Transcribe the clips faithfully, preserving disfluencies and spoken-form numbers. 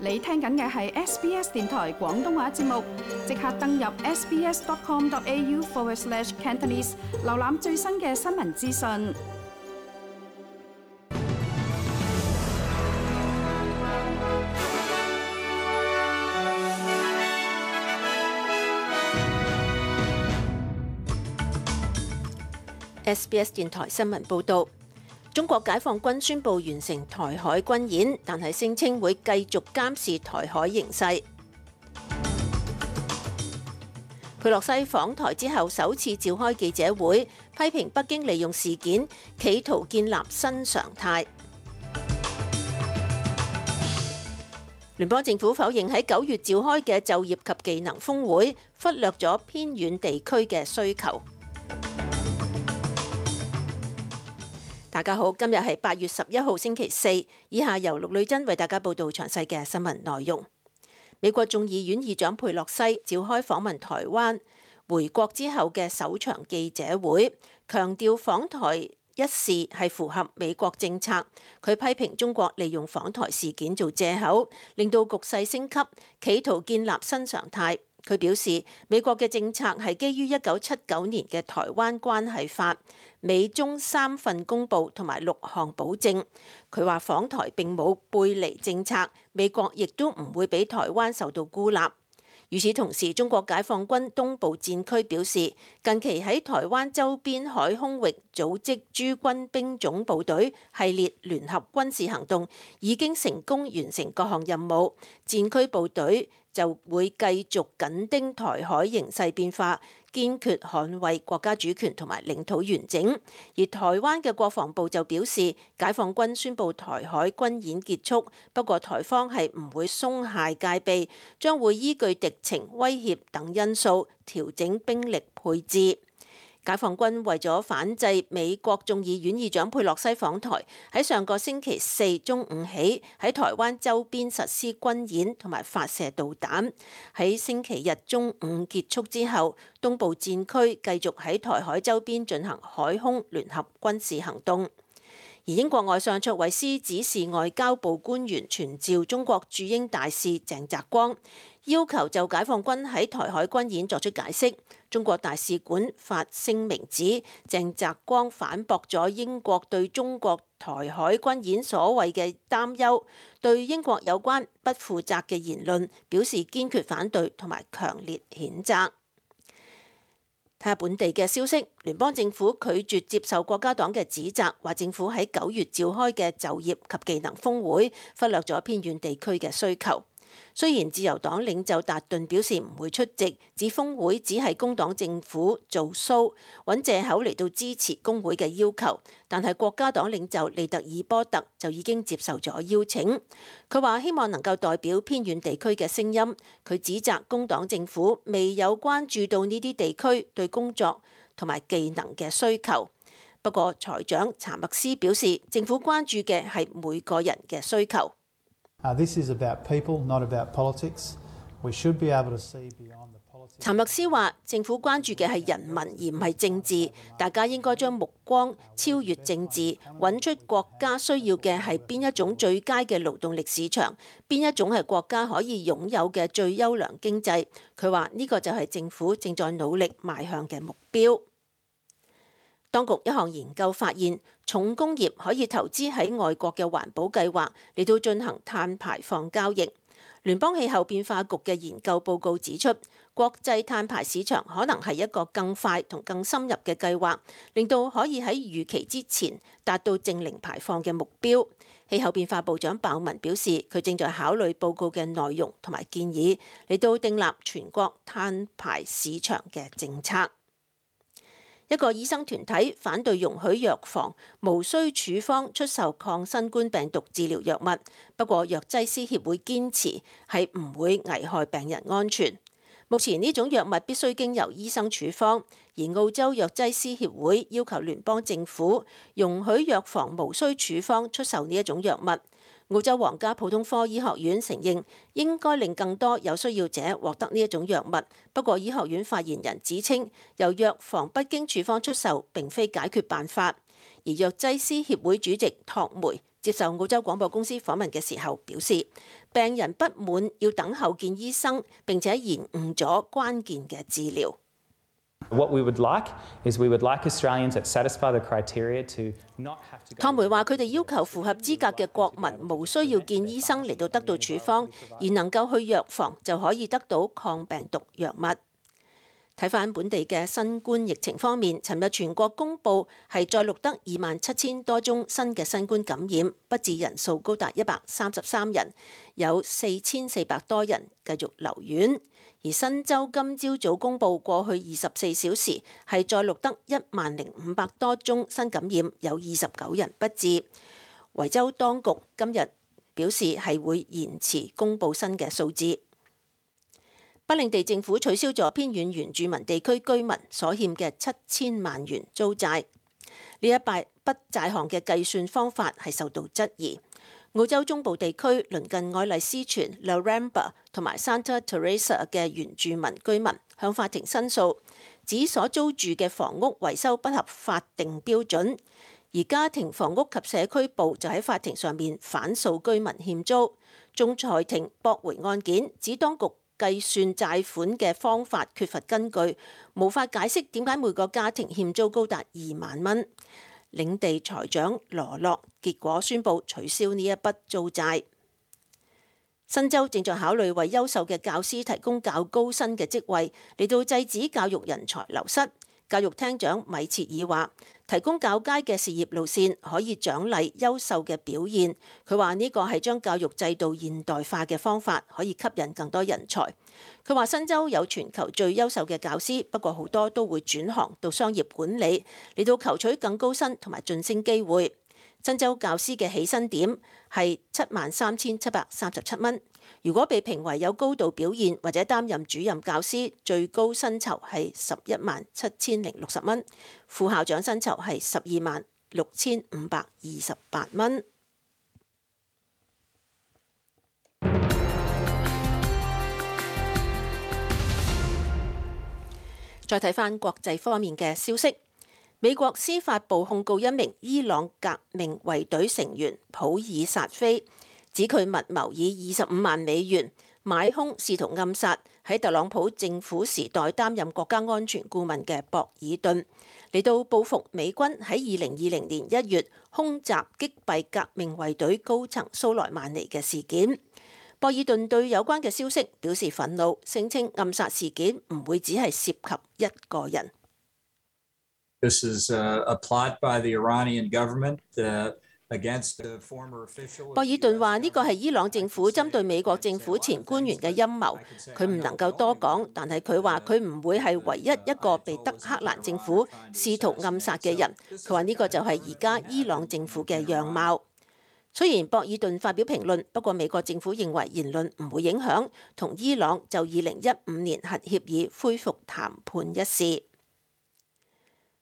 你聽緊嘅係 S B S 電台廣東話節目，即刻登入 sbs.com.au forward slash Cantonese， 瀏覽最新嘅新聞資訊。S B S 電台新聞報導。中國解放軍宣布完成台海軍演，但係聲稱會繼續監視台海形勢。佩洛西訪台之後首次召開記者會，批評北京利用事件企圖建立新常態。聯邦政府否認喺九月召開嘅就業及技能峰會忽略咗偏遠地區嘅需求。大家好，今日係八月十一號星期四，以下由陸女珍為大家報道詳細嘅新聞內容。美國眾議院議長佩洛西召開訪問台灣回國之後嘅首場記者會，強調訪台一事係符合美國政策。佢批評中國利用訪台事件做藉口，令到局勢升級，企圖建立新常態。佢表示，美國嘅政策係基於一九七九年嘅台灣關係法、美中三份公報同埋六項保證。佢話訪台並冇背離政策，美國亦都唔會俾台灣受到孤立。與此同時，中國解放軍東部戰區表示，近期喺台灣周邊海空域組織諸軍兵種部隊系列聯合軍事行動，已經成功完成各項任務。戰區部隊就會繼續緊盯台海形勢變化，堅決捍衛國家主權同埋領土完整。而台灣嘅國防部就表示，解放軍宣布台海軍演結束，不過台方係唔會鬆懈戒備，將會依據敵情、威脅等因素調整兵力配置。解放軍為咗反制美國眾議院議長佩洛西訪台，喺上個星期四中午起喺台灣周邊實施軍演同埋發射導彈。喺星期日中午結束之後，東部戰區繼續喺台海周邊進行海空聯合軍事行動。而英國外相卓慧思指示外交部官員傳召中國駐英大使鄭澤光，要求就解放軍喺台海軍演作出解釋。中國大使館發聲明指，鄭澤光反駁咗英國對中國台海軍演所謂嘅擔憂，對英國有關不負責嘅言論表示堅決反對同埋強烈譴責。睇下本地嘅消息，聯邦政府拒絕接受國家黨嘅指責，話政府喺九月召開嘅就業及技能峰會忽略咗偏遠地區嘅需求。雖然自由黨領袖達頓表示唔會出席，指峰會只係工黨政府做 show， 揾藉口嚟到支持工會嘅要求，但係國家黨領袖利特爾波特就已經接受咗邀請。佢話希望能夠代表偏遠地區嘅聲音。佢指責工黨政府未有關注到呢啲地區對工作同埋技能嘅需求。不過財長查默斯表示，政府關注嘅係每個人嘅需求。Uh, this is about people, not about politics. We should be able to see beyond the politics. 查默斯話：政府關注嘅係人民，而唔係政治。大家應該將目光超越政治，揾出國家需要嘅係邊一種最佳嘅勞動力市場，邊一種係國家可以擁有嘅最優良經濟。佢話呢個就係政府正在努力邁向嘅目標。當局一項研究發現，重工業可以投資喺外國嘅環保計劃嚟到進行碳排放交易。聯邦氣候變化局嘅研究報告指出，國際碳排市場可能係一個更快同更深入嘅計劃，令到可以喺預期之前達到淨零排放嘅目標。氣候變化部長鮑文表示，佢正在考慮報告嘅內容同埋建議，嚟到訂立全國碳排市場嘅政策。一個醫生團體反對容許藥房無需處方出售抗新冠病毒治療藥物，不過藥劑師協會堅持係唔會危害病人安全。目前呢種藥物必須經由醫生處方，而澳洲藥劑師協會要求聯邦政府容許藥房無需處方出售呢一種藥物。澳洲皇家普通科醫學院承認應該令更多有需要者獲得呢一種藥物，不過醫學院發言人指稱，由藥房不經處方出售並非解決辦法。而藥劑師協會主席托梅接受澳洲廣播公司訪問嘅時候表示，病人不滿要等候見醫生，並且延誤咗關鍵嘅治療。What we would like is we would like Australians that satisfy the criteria to not have to go. 湯梅話：佢哋要求符合資格嘅國民無需要見醫生嚟到得到處方，而能夠去藥房就可以得到抗病毒藥物。睇返本地嘅新冠疫情方面，尋日全國公佈係再錄得二萬七千多宗新嘅新冠感染，不治人數高達一百三十三人，有四千四百多人繼續留院。而新州今朝早公佈過去二十四小時係再錄得一萬零五百多宗新感染，有二十九人不治。維州當局今日表示係會延遲公佈新嘅數字。北領地政府取消咗偏遠原住民地區居民所欠嘅七千萬元租債。呢一筆債項嘅計算方法係受到質疑。澳洲中部地區鄰近愛麗絲泉、Laramba 同埋 Santa Teresa 嘅原住民居民向法庭申訴，指所租住嘅房屋維修不合法定標準。而家庭房屋及社區部就喺法庭上面反訴居民欠租。仲裁庭駁回案件，指當局計算債款嘅方法缺乏根據，無法解釋點解每個家庭欠租高達二萬蚊。領地財長羅洛結果宣布取消呢一筆租債。新州正在考慮為優秀嘅教師提供較高薪嘅職位，嚟到制止教育人才流失。教育廳長米切爾話：提供較佳嘅事業路線可以獎勵優秀嘅表現。佢話呢個係將教育制度現代化嘅方法，可以吸引更多人才。佢話新州有全球最優秀嘅教師，不過好多都會轉行到商業管理，嚟到求取更高薪同埋晉升機會。新州教師嘅起薪點係七萬三千七百三十七蚊。如果被評為有高度表現或者擔任主任教師，最高薪酬係十一萬七千零六十蚊，副校長薪酬係十二萬六千五百二十八蚊。再睇返國際方面嘅消息，美國司法部控告一名伊朗革命衛隊成員普爾薩菲，指佢密謀以二十五萬美元買兇，試圖暗殺喺特朗普政府時代擔任國家安全顧問嘅博爾頓，嚟到報復美軍喺二零二零年一月空襲擊斃革命衛隊高層蘇萊曼尼嘅事件。博爾頓對有關嘅消息表示憤怒，聲稱暗殺事件唔會只係涉及一個人。This is a plot by the Iranian government against the former official。博爾頓話呢個係伊朗政府針對美國政府前官員嘅陰謀，佢唔能夠多講，但係佢話佢唔會係唯一一個被德黑蘭政府試圖暗殺嘅人。佢話呢個就係而家伊朗政府嘅樣貌。雖然博爾頓發表評論，不過美國政府認為言論唔會影響同伊朗就二零一五年核協議恢復談判一事。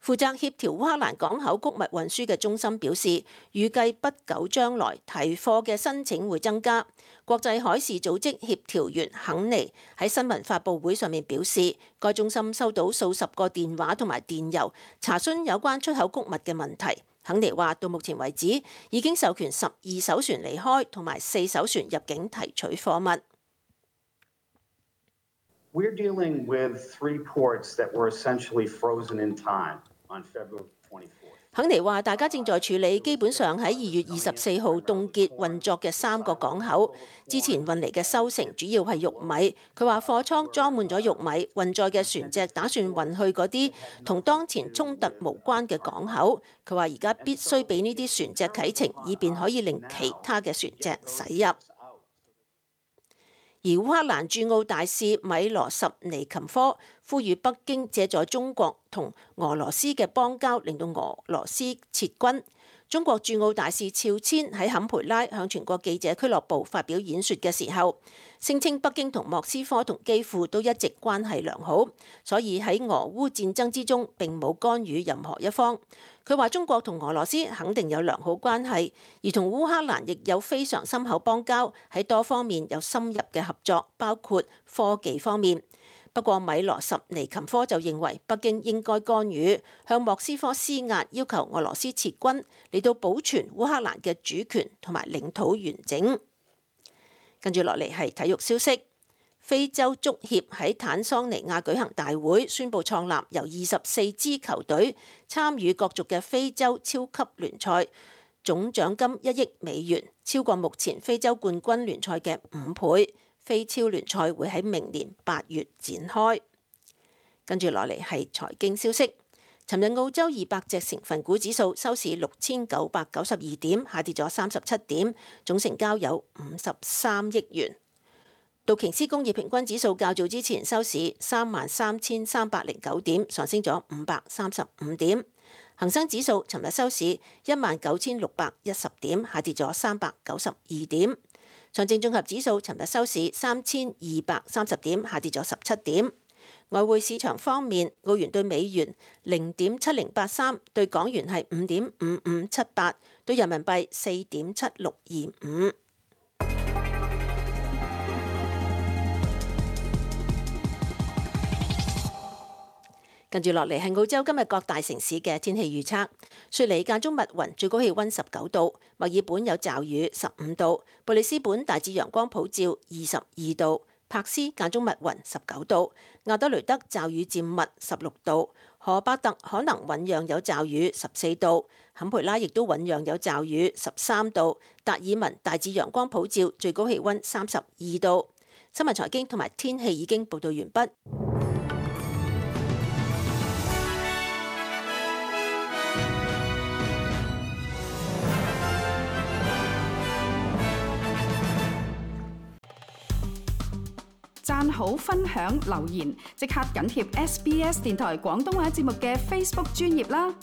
負責協調烏克蘭港口穀物運輸嘅中心表示，預計不久將來提貨嘅申請會增加。國際海事組織協調員肯尼喺新聞發佈會上面表示，該中心收到數十個電話同埋電郵，查詢有關出口穀物嘅問題。肯尼話，到目前為止已經授權十二艘船離開，同埋四艘船入境提取貨物。We're dealing with three ports that were essentially frozen in time on February twenty-fourth. 肯尼話，大家正在處理基本上喺二月二十四號凍結運作嘅三個港口，之前運嚟嘅收成主要係玉米。佢話貨倉裝滿咗玉米，運載嘅船隻打算運去嗰啲同當前衝突無關嘅港口。佢話而家必須俾呢啲船隻啟程，以便可以令其他嘅船隻駛入。而烏克蘭駐澳大使米羅什尼琴科呼籲北京借助中國同俄羅斯嘅邦交，令到俄羅斯撤軍。中國駐澳大使肖千喺坎培拉向全國記者俱樂部發表演說嘅時候，聲稱北京同莫斯科同基輔都一直關係良好，所以喺俄烏戰爭之中並冇干預任何一方。佢話中國同俄羅斯肯定有良好關係，而同烏克蘭亦有非常深厚邦交，喺多方面有深入嘅合作，包括科技方面。不過米羅什尼琴科就認為北京應該干預，向莫斯科施壓，要求俄羅斯撤軍，嚟到保存烏克蘭嘅主權同埋領土完整。跟住落嚟係體育消息，非洲足協喺坦桑尼亞舉行大會，宣布創立由二十四支球隊參與角逐嘅非洲超級聯賽，總獎金一億美元，超過目前非洲冠軍聯賽嘅五倍。非超聯賽會喺明年八月展開。跟住落嚟係財經消息。尋日澳洲二百隻成分股指數收市六千九百九十二點，下跌咗三十七點，總成交有五十三億元。道瓊斯工業平均指數較早之前收市三萬三千三百零九點，上升咗五百三十五點。恒生指數尋日收市一萬九千六百一十點，下跌咗三百九十二點。上證綜合指數尋日收市三千二百三十點，下跌咗十七點。外匯市場方面，澳元對美元零點七零八三，對港元係五點五五七八，對人民幣四點七六二五。跟住落嚟係澳洲今日各大城市嘅天氣預測。雪梨間中密雲，最高氣溫十九度；墨爾本有驟雨，十五度；布里斯本大致陽光普照，二十二度；柏斯間中密雲，十九度；亞德雷德驟雨漸密，十六度；荷伯特可能醞釀有驟雨，十四度；坎培拉亦都醞釀有驟雨，十三度；達爾文大致陽光普照，最高氣溫三十二度。新聞財經同埋天氣已經報道完畢。讚好、分享、留言，即刻緊貼 S B S 電台廣東話節目嘅 Facebook 專頁啦！